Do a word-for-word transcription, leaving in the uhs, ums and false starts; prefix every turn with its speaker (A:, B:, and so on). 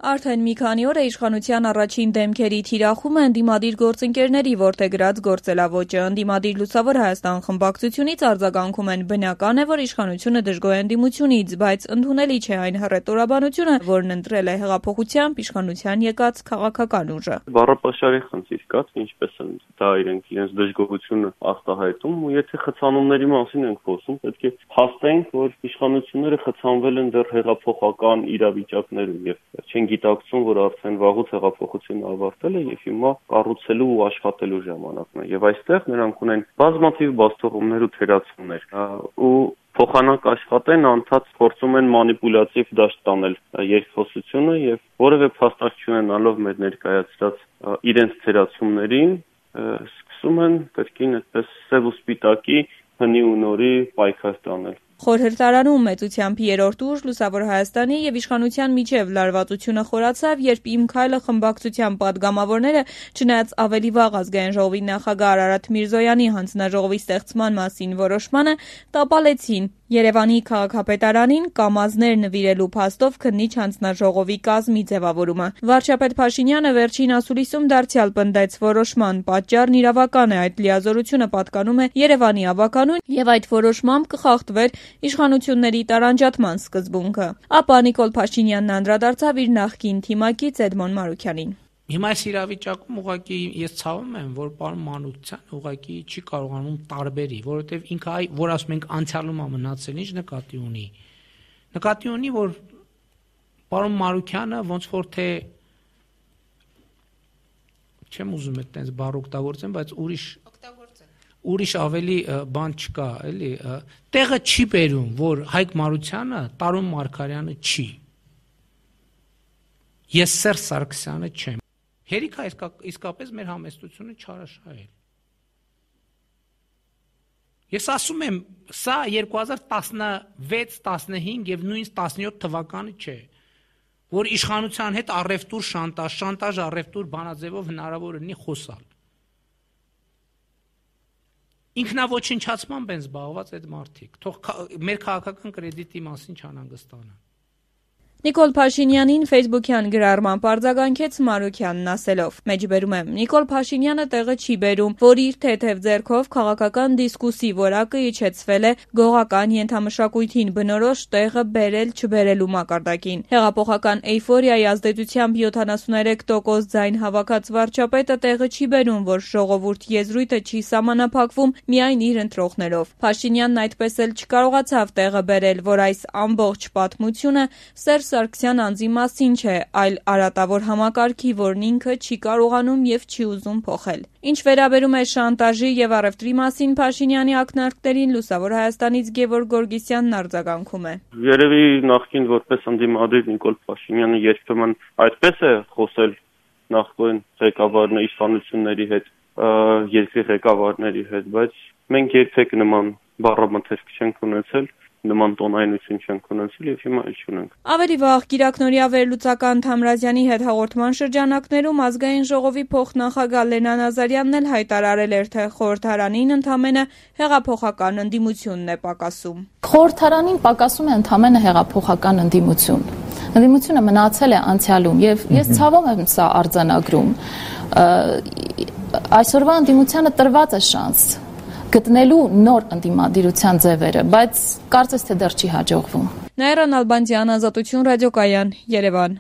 A: Արդեն մի քանի օր է իշխանության առաջին դեմքերի թիրախումը ընդդիմադիր գործընկերների որդեգրած գործելավոճը։ Ընդդիմադիր Լուսավոր Հայաստան խմբակցությունից արձագանքում են բնական է, որ իշխանությունը դժգոհ է ընդդիմությունից, բայց ընդունելի չէ այն հռետորաբանությունը, որն ընտրել է հեղափոխությամբ իշխանության եկած քաղաքական ուժը։
B: Բառապաշարի խնդիր կա, ինչպես են դա իրենք իրենց դժգոհությունը արտահայտում, ու եթե խցանումների մասին ենք խոսում, պետք է փաստենք, որ իշխանությունները խցանվել են դեռ հեղափոխական իրավիճակներում եւ չեն գիտակցում, որ արդեն վաղուց հեղափոխությունը ավարտել է եւ հիմա կառուցելու ու աշխատելու ժամանակն է։ Եվ այստեղ նրանք ունեն բազմաթիվ բացթողումներ ու թերացումներ, ու փոխանակ աշխատեն, անդադ փորձում են մանիպուլյատիվ դաշտ տանել երկխոսությունը եւ որևէ փաստարկ չունենալով մեր ներկայացրած իրենց թերացումներին, սկսում են կրկին այդպես սև ու սպիտակի հնի ու նորի պայքար տանել։
A: Խորհրդարանում մեծությամբ երրորդ ուժ Լուսավոր Հայաստանի եւ իշխանության միջև լարվածությունը խորացավ, երբ Իմ քայլը խմբակցության падգամավորները, չնայած ավելի վաղ ազգային ժողովի նախագահ Արարատ Միրզոյանի հանձնաժողովի ստեղծման մասին որոշմանը, տապալեցին Երևանի քաղաքապետարանին կամազներ նվիրելու փաստով քննիչ հանձնաժողովի կազմի ձևավորումը։ Վարչապետ Փաշինյանը վերջին ասուլիսում դարձյալ պնդեց որոշման պատճառն իրավական է, այդ լիազորությունը պատկանում է Երևանի ավականուն եւ այդ որոշմամբ կխախտվեր իշխանությունների տարանջատման սկզբունքը։ Ապա Նիկոլ Փաշինյանն անդրադարձավ իր նախկին թիմակից Էդմոն Մանուկյանին։
C: Հիմա այս իրավիճակում ուղղակի ես ցավում եմ, որ պարոն Մանուկյան ուղղակի չի կարողանում տարբերի, որովհետև ինքը այ որ ասում ենք անցյալում է մնացել, ինչ նկատի ունի։ Նկատի ունի, որ պարոն Մանուկյանը ոնց որ թե չեմ ուզում այդտենց բառ օգտագործեմ, բայց ուրիշ ուրիշ ավելի բան չկա, էլի, տեղը չի բերում, որ Հայկ Մարությանը Տարոն Մարգարյանը չի։ Ես Սերժ Սարգսյանը չեմ։ Հերիք է իսկապես մեր համեստությունը չարաշահել։ Ես ասում եմ, սա երկու հազար տասնվեց տասնհինգ եւ նույնիսկ տասնյոթ թվականը չէ, որ իշխանության հետ առևտուր շանտաժ, շանտաժ առևտուր բանաձևով հնարավոր լինի խոսալ։ Ինքնաոչնչացմամբ են զբաղված այդ մարդիկ, թող մեր քաղաքական կրեդիտի մասին չանհանգստանան։
A: Նիկոլ Փաշինյանին ֆեյսբուքյան գրառմամբ արձագանքեց Մանուկյանն ասելով. Մեջբերում եմ, Նիկոլ Փաշինյանը տեղը չի բերում, որ իր թեթև ձեռքով քաղաքական դիսկուսի որակը իջեցվել է գողական ենթամշակույթին բնորոշ տեղը բերել չբերելու մակարդակին։ Հեղափոխական էյֆորիայի ազդեցությամբ յոթանասուներեք տոկոս ձայն հավաքած վարչապետը տեղը չի բերում, որ ժողովուրդ եզրույթը չի սահմանափակվում միայն իր ընտրողներով։ Փաշինյանն այդպես էլ չկարողացավ տեղը բերել, որ այս ամբողջ պատմությունը Սերժ Սարգսյան անձի մասին չէ, այլ արատավոր համակարգի, որն ինքը չի կարողանում եւ չի ուզում փոխել։ Ինչ վերաբերում է շանտաժի եւ առևտրի մասին Փաշինյանի ակնարկներին, Լուսավոր Հայաստանից Գևորգ Գորգիսյանն արձագանքում է։
B: Երևի նախկին որպես ընդդիմադիր Նիկոլ Փաշինյանը երբեմն այդպես է խոսել նախկին ղեկավարների իշխանությունների հետ, երկրի ղեկավարների հետ, բայց մենք երբեք նման բառամթերք չենք ունեցել, նման տոնայնություն չենք ունեցել եւ հիմա էլ չունենք։
A: Ավելի վաղ Կիրակնորիա վերլուծական Թամրազյանի հետ հաղորդման շրջանակներում ազգային ժողովի փոխնախագահ Լենա Նազարյանն էլ հայտարարել էր, թե խորհրդարանին ընդամենը հեղափոխական ընդդիմությունն է պակասում։
D: Խորհրդարանին պակասում է ընդամենը հեղափոխական ընդդիմություն։ Ընդդիմությունը մնացել է անցյալում եւ ես ցավով եմ սա արձանագրում։ Այսօրվա ընդդիմությանը տրված է շանս գտնելու նոր ընդդիմադիրության ձևերը, բայց կարծես թե դեռ չի հաջողվում։
A: Նաիրա Նալբանդյան, Ազատություն ռադիոկայան, Երևան։